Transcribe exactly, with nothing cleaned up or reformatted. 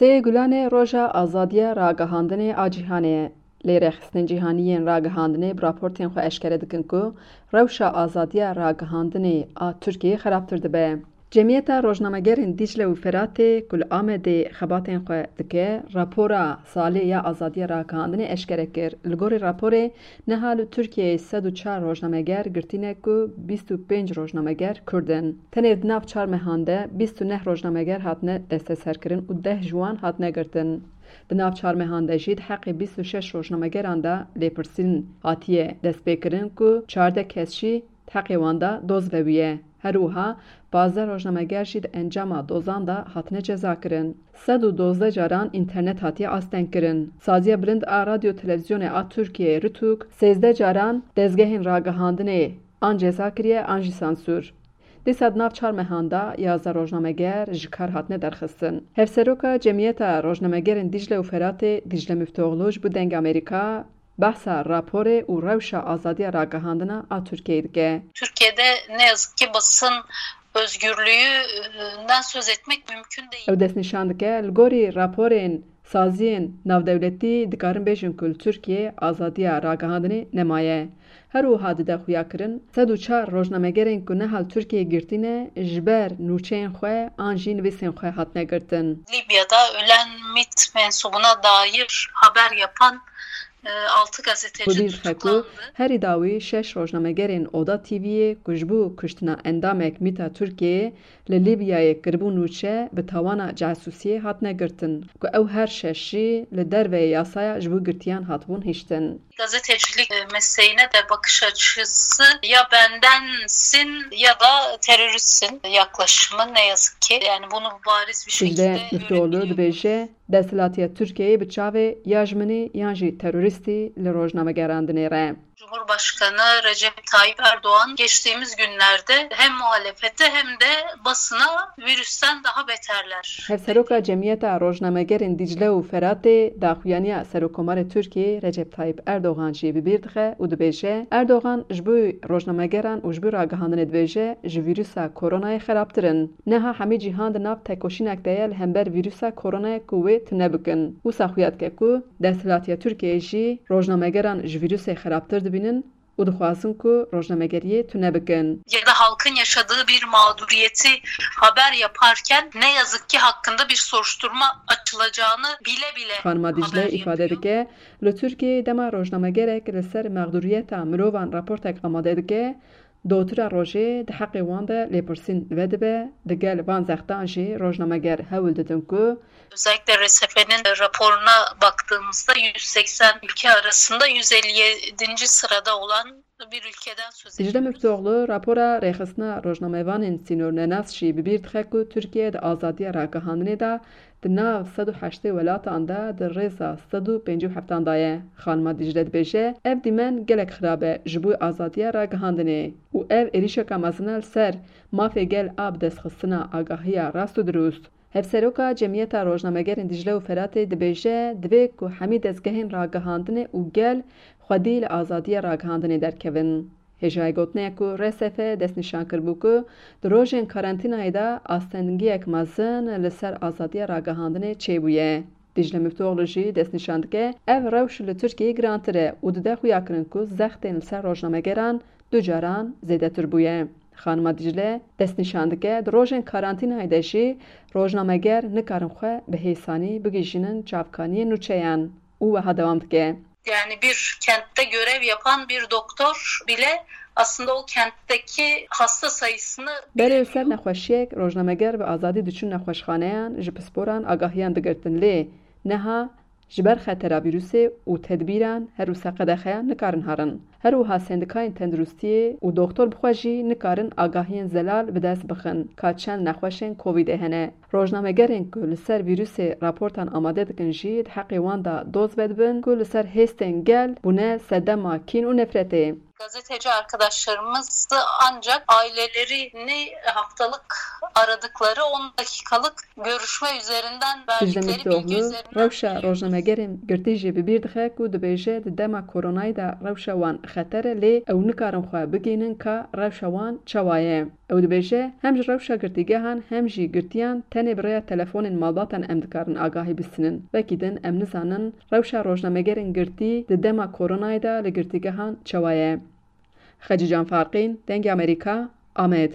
Sê Gulanê roja azadiya ragihandinê a cîhanê ye. Lê rêxistinên cîhanî yên ragihandinê bi raportên xwe eşkere dikin ku rewşa azadiya ragihandinê a Tirkiyeyê xerabtir dibe. Cemiyeta Rojnamegerên Dîcle û Feratê ku li Amedê xebatên xwe dike, rapora salê ya azadiya ragihandinê eşkere kir. Li gorî raporê, niha li Tirkiyeyê sed û çar rojnameger girtî ne ku bîst û pênc rojnameger Kurd in. Tenê di nav çar mehan de bîst û neh rojnameger hatine desteserkirin û deh ji wan hatine girtin. Di nav çar mehan de jî di heqê bîst û şeş rojnamegeran de lêpirsîn hatiye destpêkirin ku çardeh kes jî di heqê wan de doz vebûye. Her wiha pazdeh rojnameger jî di encama dozan de hatine cezakirin. Sed û dozdeh caran înternet hatiye astengkirin. Saziya Bilind a Radyo Televîzyonê a Tirkiyeyê, RTÜK, sêzdeh caran dezgehên ragihandinê an ceza kiriye an jî sansûr. Dîsa di nav çar mehan de yazdeh rojnameger ji kar hatine derxistin. Hevseroka Cemiyeta Rojnamegerên Dîcle û Feratê Dîcle Miftoglu ji bo Dengê Amerîka behsa raporê û rewşa azadiya ragihandina a Tirkiyeyê dike. Türkiye'de ne yazık ki basın özgürlüğünden söz etmek mümkün değil. Ew destnîşan dike, li gorî raporên saziyên navdewletî dikarin bêjin ku li Tirkiyeyê azadiya ragihandinê nemaye. Her wiha dide xuyakirin, sed û çar rojnamegerên ku niha li Tirkiyeyê girtî ne, ji ber nûçeyên xwe an jî nivîsên xwe hatine girtin. Libya'da ölen MİT mensubuna dair haber yapan e, altı gazeteci Hûdî dixe ku tutuklandı. Herî dawî şeş rojnamegerên Oda TV'yê ku ji bo kuştina endamek MÎT'a Tirkiyeyê li Lîbyayê kiribû nûçe, bi tawana casûsiyê hatine girtin, ku ew her şeş jî li derveyê yasaya ji bo girtiyan hatibûn hiştin. Gazetecilik e, mesleğine de bakış açısı ya bendensin ya da teröristsin yaklaşımı ne yazık ki. Yani bunu bariz bir Dîcle şekilde Miftoglu görebiliyoruz. Dibêje, desthilatiya Tirkiyeyê bi çavê ya ji min î yan jî terorîstî li rojnamegeran dinêre. Cumhurbaşkanı Recep Tayyip Erdoğan geçtiğimiz günlerde hem muhalefete hem de basına virüsten daha beterler. Hevseroka Cemiyeta Rojnamegerên Dîcle û Feratê daxuyaniya Serokkomarê Tirkiyeyê Recep Tayyip Erdogan jî bi bîr dixe û dibêje, Erdogan ji bo rojnamegeran û ji bo ragihandinê dibêje, ji vîrusa koronayê xerabtir in. Niha hemî cîhan di nav tekoşînek de ye li hember vîrusa koronayê ku wê tune bikin. Wisa xuya dike ku desthilatiya Tirkiyeyê jî rojnamegeran ji vîrusê xerabtir dibînin û dixwazin ku rojnamegeriyê tune bikin. Ya da halkın yaşadığı bir mağduriyeti haber yaparken ne yazık ki hakkında bir soruşturma açılacağını bile bile Xanima Dîcle haber îfade yapıyor. dike, li Tirkiyeyê dema rojnamegerek li ser mexdûriyeta mirovan raportek amade dike, dotira rojê di heqê wan de lêpirsîn vedibe, digel van zextan jî rojnameger hewl didin ku Özellikle R S F'nin raporuna baktığımızda yüz seksen ülke arasında yüz elli yedinci sırada olan bir ülkeden söz Dîcle ediyoruz. Miftoglu rapora rêxistina rojnamevanên sînornenas jî bi bîr dixe ku Tirkiye di azadiya ragihandinê de di nav sed û heştê welatan de di rêza sed û pêncî û heftan de ye. Xanima Dîcle dibêje, ev dîmen gelek xirab e ji bo azadiya ragihandinê û ev êrîşeka mezin e li ser mafê gel a bi destxistina agahiya rast û dirust. Hevseroka Cemiyeta Rojnamegerên Dîcle û Feratê dibêje, divê ku hemî dezgehên ragihandinê û gel xwedî li azadiya ragihandinê derkevin. Hêjayê gotinê ye ku R S F destnîşan kiribû ku di rojên karantînayê de astengiyek mezin li ser azadiya ragihandinê çêbûye. Dîcle Miftoglu jî destnîşan dike, ev rewş li Tirkiyeyê girantir e û dide xuyakirin ku zextên li ser rojnamegeran du caran zêdetir bûye. Xanima Dîcle destnîşan dike, di rojên karantînayê de jî rojnameger nikarin xwe bi hêsanî bigihîjînin çavkaniyên nûçeyan û wiha dewam dike. Yani bir kentte görev yapan bir doktor bile aslında o kentteki hasta sayısını Berê li ser nexweşiyek rojnameger bi azadî diçûn nexweşxaneyan, ji pisporan agahiyan digirtin, lê niha ji ber xetera vîrusê û tedbîran her wisa qedexeyan nikarin herin. Her wiha sendikayên tenduristiyê û doxtor bi xwe jî nikarin agahiyên zelal bi dest bixin ka çend nexweşên Covidê hene. Rojnamegerên ku li ser vîrusê raportan amade dikin jî di heqê wan de doz vedibin ku li ser hêstên gel bûne sedema kîn û nefretê. Gazeteci arkadaşlarımız ancak ailelerini haftalık aradıkları on dakikalık görüşme üzerinden Dicle verdikleri bilgi Miftoğlu, üzerinden rewşa rojnamegerên girtî jî bi bîr dixe ku dibêje di dema koronayê de rewşa wan xeter e, lê ew nikarin xwe bigihînin ka rewşa wan çawa ye. Ew dibêje, hem ji rewşa girtîgehan hem jî girtiyan tenê bi rêya telefonên malbatan em dikarin agahî bistînin. Wekî din em nizanin rewşa rojnamegerên girtî di dema koronayê de li girtîgehan çawa ye. Xecîcan Farqîn, Dengê Amerîka, Amed.